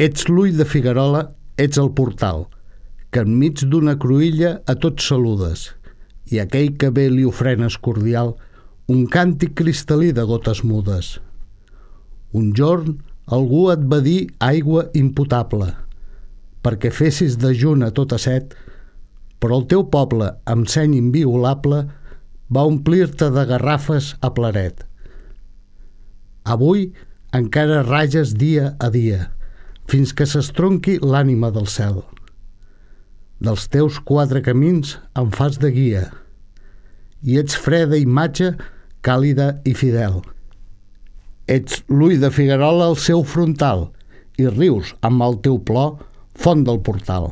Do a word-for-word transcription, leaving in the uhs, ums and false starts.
Ets l'ull de Figuerola, ets el portal, que enmig d'una cruïlla a tots saludes, i aquell que ve li ofrenes cordial un càntic cristal·lí de gotes mudes. Un jorn algú et va dir aigua impotable, perquè fessis dejun a tota set, però el teu poble, amb seny inviolable, va omplir-te de garrafes a pleret. Avui encara rages dia a dia, fins que s'estronqui l'ànima del cel. Dels teus quatre camins em fas de guia, i ets freda imatge, càlida i fidel. Ets l'ull de Figuerola al seu frontal, i rius amb el teu plor, font del portal.